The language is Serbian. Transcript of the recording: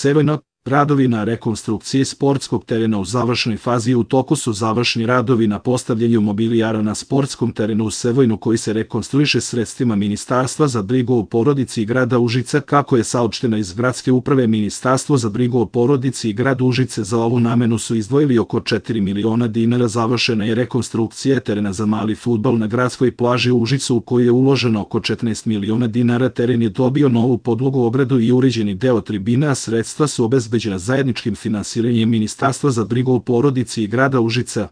Sevojno, radovi na rekonstrukciji sportskog terena u završnoj fazi. U toku su završni radovi na postavljanju mobilijara na sportskom terenu u Sevojnu koji se rekonstruiše sredstvima Ministarstva za brigu o porodici i grada Užice. Kako je saopšteno iz gradske uprave, Ministarstvo za brigu o porodici i grad Užice za ovu namenu su izdvojili oko 4 miliona dinara. Završena je rekonstrukcija terena za mali fudbal na gradskoj plaži u Užicu u kojoj je uloženo oko 14 miliona dinara. Teren je dobio novu podlogu, ogradu i uređeni deo tribina, a sredstva su obezbeđena zajedničkim finansiranjem Ministarstva za brigu o porodici i grada Užica.